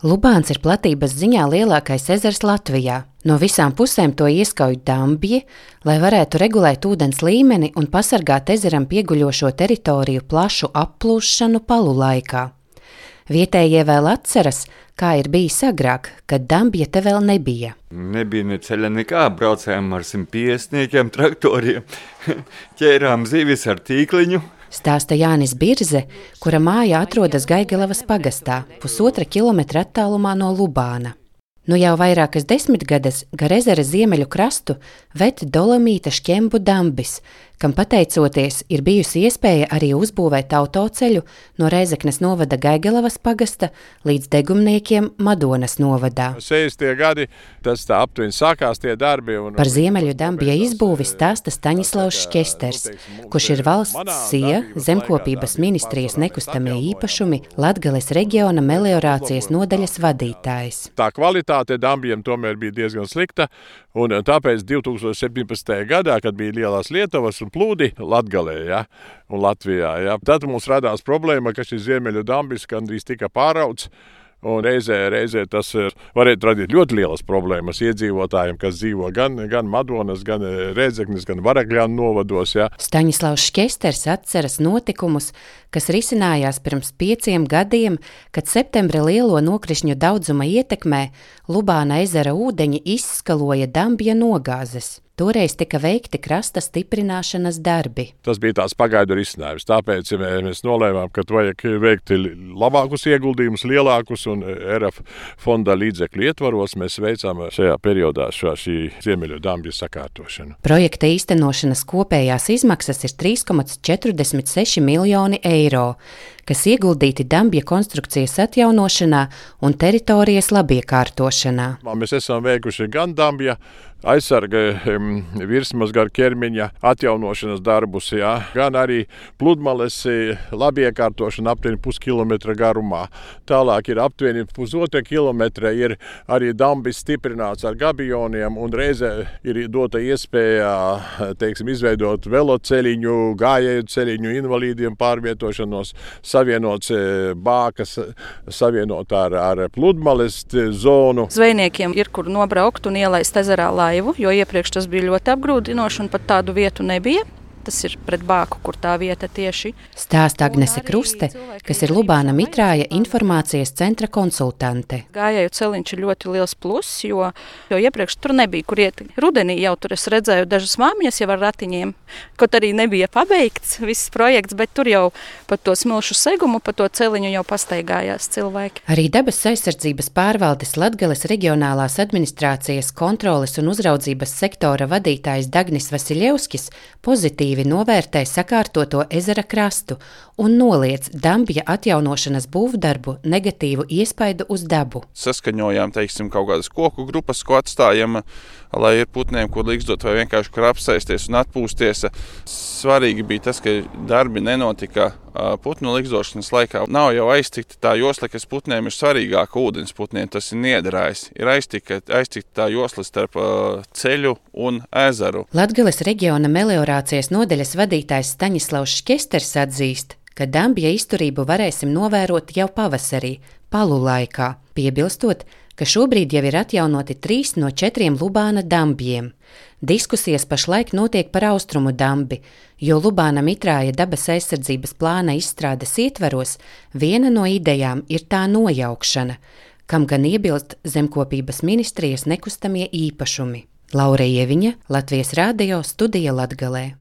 Lubāns ir platības ziņā lielākais ezers Latvijā. No visām pusēm to ieskauj dambji, lai varētu regulēt ūdens līmeni un pasargāt ezeram pieguļošo teritoriju plašu applūšanu palu laikā. Vietējie vēl atceras, kā ir bijis agrāk, kad dambja te vēl nebija. Nebija ne ceļa nekā, braucējām ar 150 traktoriem, ķērām zivis ar tīkliņu. Stāsta Jānis Birze, kura māja atrodas Gaigelavas pagastā, 1,5 kilometra attālumā no Lubāna. Nu jau vairākas desmitgades gar ezera ziemeļu krastu ved dolomīta šķembu dambis, kam pateicoties ir bijusi iespēja arī uzbūvēt autoceļu no Rēzeknes novada Gaigelavas pagasta līdz Degumniekiem Madonas novadā. 60. gadi, tas tā aptuveni sākās tie darbi. Par ziemeļu dambja izbūvi stāsta Staņislavs Šķesters, kurš ir valsts SIA, Zemkopības ministrijas nekustamie īpašumi, Latgales reģiona meliorācijas nodaļas vadītājs. Tā kvalitāte dambjiem tomēr bija diezgan slikta, un tāpēc 2017. gadā, kad bija lielās Lietuvas un plūdi Latgalē, un Latvijā, tad mums radās problēma, ka šis ziemeļu dambis gandrīz tika pārauts. Un reizē tas varētu radīt ļoti lielas problēmas iedzīvotājiem, kas dzīvo gan Madonas, gan Rēzeknes, gan Varakļānu novados. Staņislavs Šķesters atceras notikumus, kas risinājās pirms 5 gadiem, kad septembra lielo nokrišņu daudzuma ietekmē Lubāna ezera ūdeņi izskaloja dambja nogāzes. Toreiz tika veikti krasta stiprināšanas darbi. Tas bija tāds pagaidu risinājums, tāpēc mēs nolēmām, ka vajag veikt labākus ieguldījumus, lielākus, un RF fonda līdzekļu ietvaros mēs veicām šajā periodā šī ziemeļu dambja sakārtošanu. Projekta īstenošanas kopējās izmaksas ir 3,46 miljoni eiro, kas ieguldīti dambja konstrukcijas atjaunošanā un teritorijas labiekārtošanā. Mēs esam veikuši gan dambja aizsarga virsmas gar ķermeņa atjaunošanas darbus, gan arī pludmales labiekārtošana aptuveni 0,5 kilometra garumā. Tālāk ir aptuveni 1,5 kilometra ir arī dambis stiprināts ar gabioniem, un reizē ir dota iespēja, izveidot veloceļiņu, gājēju ceļiņu, invalīdiem pārvietošanos, savienots bākas, savienot ar pludmales zonu. Zvejniekiem ir, kur nobraukt un ielaist ezerā laivu, jo iepriekš tas bija ļoti apgrūtinoši un pat tādu vietu nebija. Tas ir pret bāku, kur tā vieta tieši. Stāsta Agnese Kruste, kas ir Lubāna Mitrāja informācijas centra konsultante. Gājēju celiņš ir ļoti liels pluss, jo iepriekš tur nebija, kur iet. Rudenī jau tur es redzēju dažas māmiņas jau ar ratiņiem, kaut arī nebija pabeigts viss projekts, bet tur jau pa to smilšu segumu, pa to celiņu jau pastaigājās cilvēki. Arī dabas aizsardzības pārvaldes Latgales reģionālās administrācijas kontroles un uzraudzības sektora vadītājs Dagnis Vasiļevskis pozitīvi novērtē sakārtoto ezera krastu un noliedz dambja atjaunošanas būvdarbu negatīvu iespaidu uz dabu. Saskaņojām, kaut kādas koku grupas, ko atstājam, lai ir putniem, kur līgzdot vai vienkārši kur apsēsties un atpūsties. Svarīgi bija tas, ka darbi nenotika putnu līgzdošanas laikā. Nav jau aiztikta tā josla, kas putniem ir svarīgāka ūdens putniem, tas ir niedrājs. Ir aiztikta tā josla starp ceļu un ezeru. Latgales reģiona meliorācijas nodaļas vadītājs Staņislavs Šķesters atzīst, ka dambja izturību varēsim novērot jau pavasarī, palu laikā, piebilstot, ka šobrīd jau ir atjaunoti 3 no 4 Lubāna dambjiem. Diskusijas pašlaik notiek par austrumu dambi, jo Lubāna Mitrāja dabas aizsardzības plāna izstrādes ietveros viena no idejām ir tā nojaukšana, kam gan iebilst Zemkopības ministrijas nekustamie īpašumi. Laura Ieviņa, Latvijas radio, studija Latgalē.